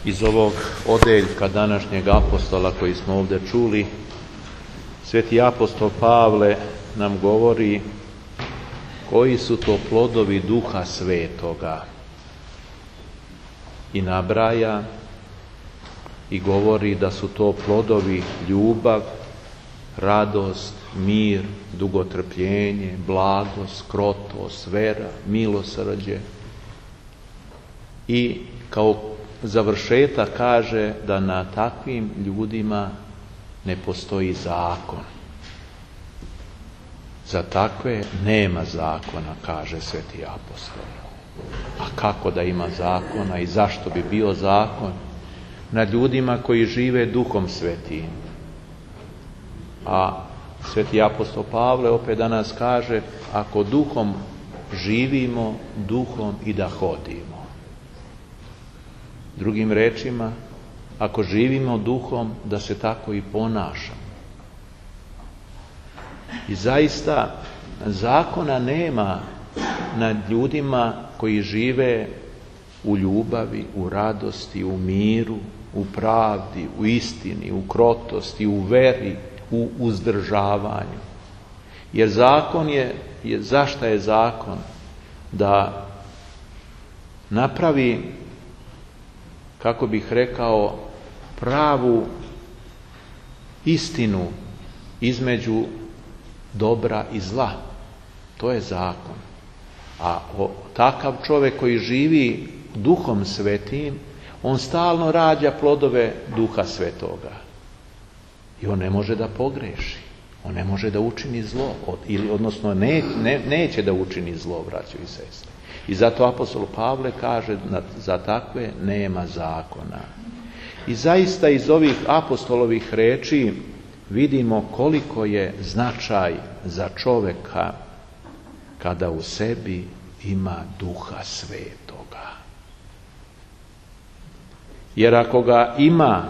Iz ovog odeljka današnjeg apostola koji smo ovdje čuli, sveti apostol Pavle nam govori koji su to plodovi Duha Svetoga i nabraja i govori da su to plodovi ljubav, radost, mir, dugotrpljenje, blagost, krotost, vera, milosrđe. I kao završetak kaže da na takvim ljudima ne postoji zakon. Za takve nema zakona, kaže sveti apostol. A kako da ima zakona i zašto bi bio zakon? Nad ljudima koji žive Duhom Svetim. A sveti apostol Pavle opet danas kaže, ako duhom živimo, duhom i da hodimo. Drugim rečima, ako živimo duhom, da se tako i ponašamo. I zaista zakona nema nad ljudima koji žive u ljubavi, u radosti, u miru, u pravdi, u istini, u krotosti, u veri, u uzdržavanju. Jer zakon zašto je zakon? Da napravi, kako bih rekao, pravu istinu između dobra i zla. To je zakon. A takav čovjek koji živi Duhom Svetim, on stalno rađa plodove Duha Svetoga. I on ne može da pogreši. On ne može da učini zlo. Odnosno neće da učini zlo, braćo i sestre. I zato apostol Pavle kaže za takve nema zakona. I zaista iz ovih apostolovih reči vidimo koliko je značaj za čovjeka kada u sebi ima Duha Svetoga. Jer ako ga ima,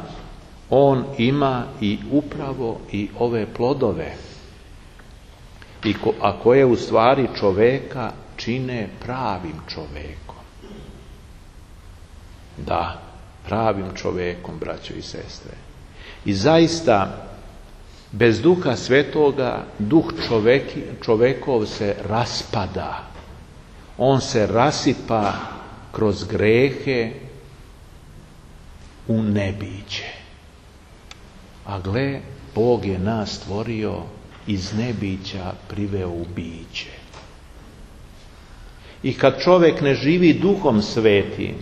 on ima i upravo i ove plodove, a koje u stvari čovjeka čine pravim čovjekom. Da, pravim čovjekom, braćo i sestre. I zaista, bez Duha Svetoga, duh čovjekov se raspada. On se rasipa kroz grehe u nebiće. A gle, Bog je nas stvorio, iz nebića priveo u biće. I kad čovjek ne živi Duhom Svetim,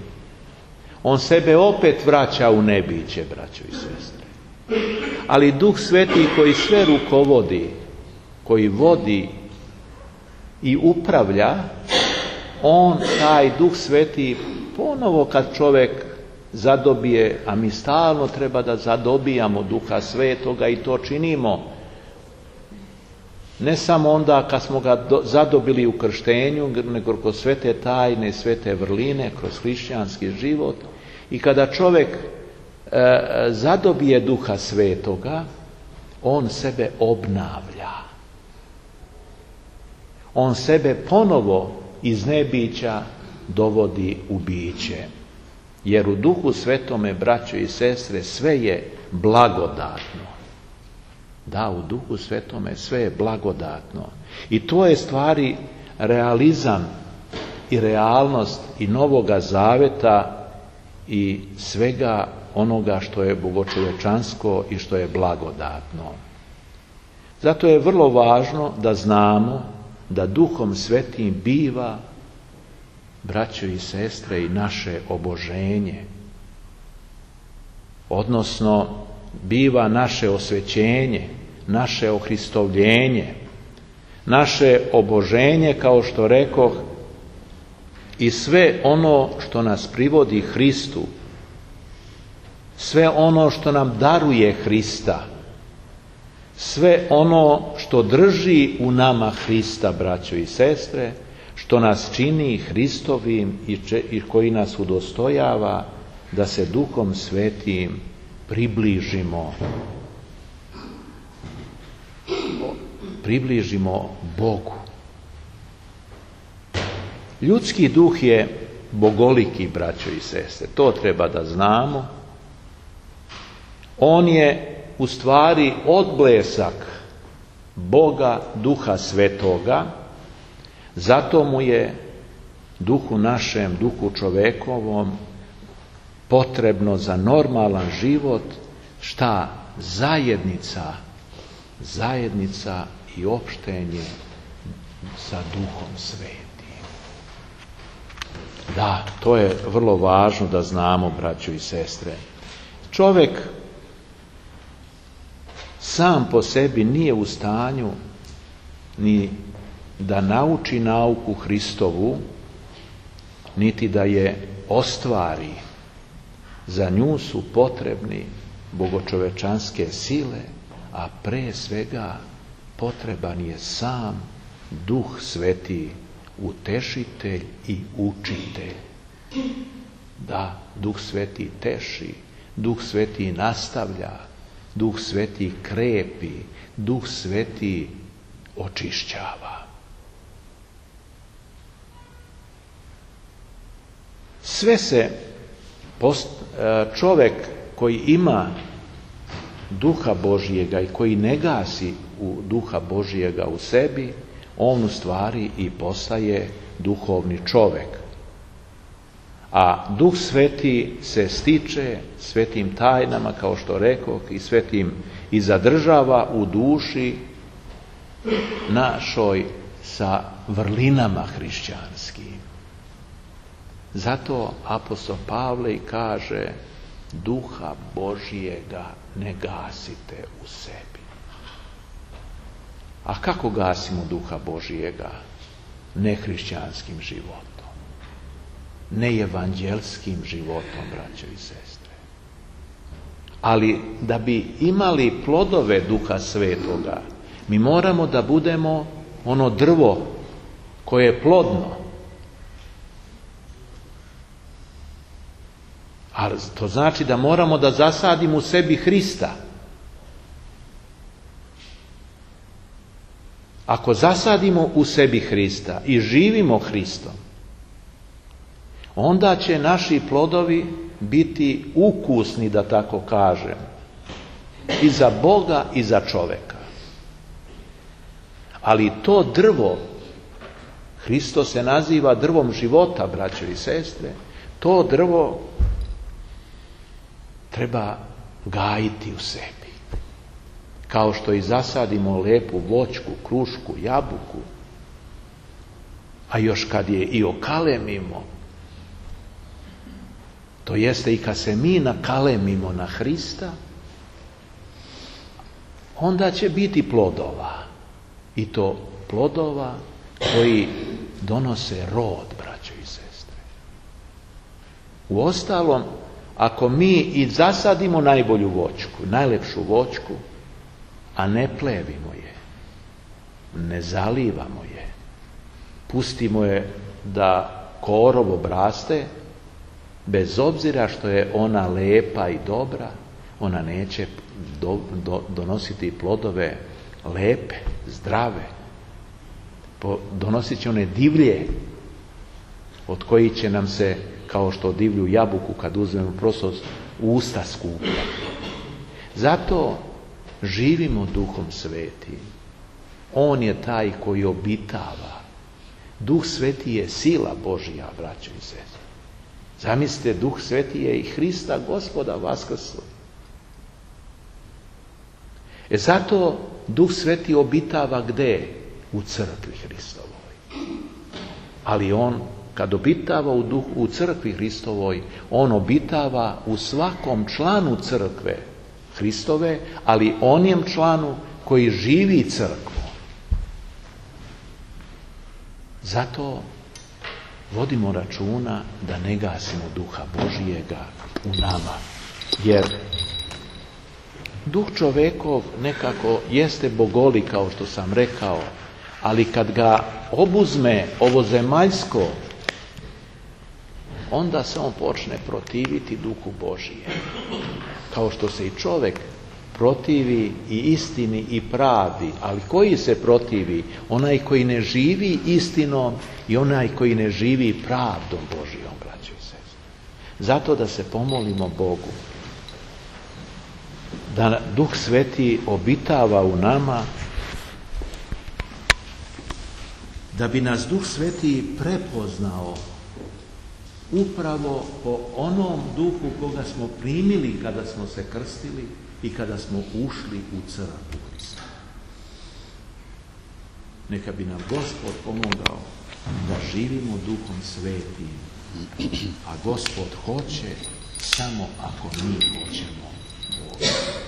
on sebe opet vraća u nebiće, braćo i sestre. Ali Duh Sveti koji sve rukovodi, koji vodi i upravlja, on, taj Duh Sveti, ponovo kad čovjek zadobije, a mi stalno treba da zadobijamo Duha Svetoga i to činimo, ne samo onda kad smo ga zadobili u krštenju, nego kroz sve te tajne, sve te vrline, kroz hrišćanski život. I kada čovjek zadobije Duha Svetoga, on sebe obnavlja. On sebe ponovo iz nebića dovodi u biće. Jer u Duhu Svetome, braćo i sestre, sve je blagodatno. Da, u Duhu Svetome sve je blagodatno. I to je stvari realizam i realnost i Novoga Zaveta i svega onoga što je bogočovečansko i što je blagodatno. Zato je vrlo važno da znamo da Duhom Svetim biva, braćo i sestre, i naše oboženje. Odnosno, biva naše osvećenje, naše ohristovljenje, naše oboženje, kao što rekoh, i sve ono što nas privodi Hristu, sve ono što nam daruje Hrista, sve ono što drži u nama Hrista, braćo i sestre, što nas čini Hristovim i koji nas udostojava da se Duhom Svetim približimo Bogu. Ljudski duh je bogoliki, braćo i sestre. To treba da znamo. On je u stvari odblesak Boga, Duha Svetoga, zato mu je duhu našem, duhu čovekovom potrebno za normalan život šta? Zajednica i opštenje sa Duhom Svetim. Da, to je vrlo važno da znamo, braćo i sestre. Čovjek sam po sebi nije u stanju ni da nauči nauku Hristovu, niti da je ostvari. Za nju su potrebni bogočovečanske sile, a pre svega potreban je sam Duh Sveti, utešitelj i učitelj. Da, Duh Sveti teši, Duh Sveti nastavlja, Duh Sveti krepi, Duh Sveti očišćava. Sve se čovjek koji ima Duha Božijega i koji ne gasi u Duha Božijega u sebi, on u stvari i postaje duhovni čovjek. A Duh Sveti se stiče svetim tajnama, kao što rekoh, i svetim i zadržava u duši našoj sa vrlinama hrišćanskim. Zato apostol Pavle kaže: Duha Božijega ne gasite u sebi. A kako gasimo Duha Božijega? Nehrišćanskim životom, neevanđelskim životom, braćo i sestre. Ali da bi imali plodove Duha Svetoga, mi moramo da budemo ono drvo koje je plodno. Ali to znači da moramo da zasadimo u sebi Hrista. Ako zasadimo u sebi Hrista i živimo Hristom, onda će naši plodovi biti ukusni, da tako kažem, i za Boga i za čoveka. Ali to drvo, Hristos se naziva drvom života, braćo i sestre, to drvo treba gajiti u sebi. Kao što i zasadimo lepu voćku, krušku, jabuku, a još kad je i okalemimo, to jeste i kad se mi nakalemimo na Hrista, onda će biti plodova. I to plodova koji donose rod, braćo i sestre. Uostalom, ako mi i zasadimo najbolju voćku, najlepšu voćku, a ne plevimo je, ne zalivamo je, pustimo je da korov obraste, bez obzira što je ona lepa i dobra, ona neće donositi plodove lepe, zdrave. Donosit će one divlje, od kojih će nam se, kao što divlju jabuku kad uzmemo prosto, usta skuplja. Zato živimo Duhom Svetim. On je taj koji obitava. Duh Sveti je sila Božja, braćo i sestre. Zamislite, Duh Sveti je i Hrista Gospoda vaskrslo. Zato Duh Sveti obitava gde? U crkvi Hristovoj. Ali on, kad obitava u crkvi Hristovoj, on obitava u svakom članu crkve Hristove, ali onijem članu koji živi crkvu. Zato vodimo računa da ne gasimo Duha Božijega u nama. Jer Duh čovekov nekako jeste bogoli, kao što sam rekao, ali kad ga obuzme ovo zemaljsko, onda se on počne protiviti Duhu Božije. Kao što se i čovjek protivi i istini i pravdi. Ali koji se protivi? Onaj koji ne živi istinom i onaj koji ne živi pravdom Božijom, braćo i sestre. Zato da se pomolimo Bogu, da Duh Sveti obitava u nama, da bi nas Duh Sveti prepoznao upravo po onom duhu koga smo primili kada smo se krstili i kada smo ušli u crkvu Hrista. Neka bi nam Gospod pomogao da živimo Duhom Svetim, a Gospod hoće samo ako mi hoćemo Boga.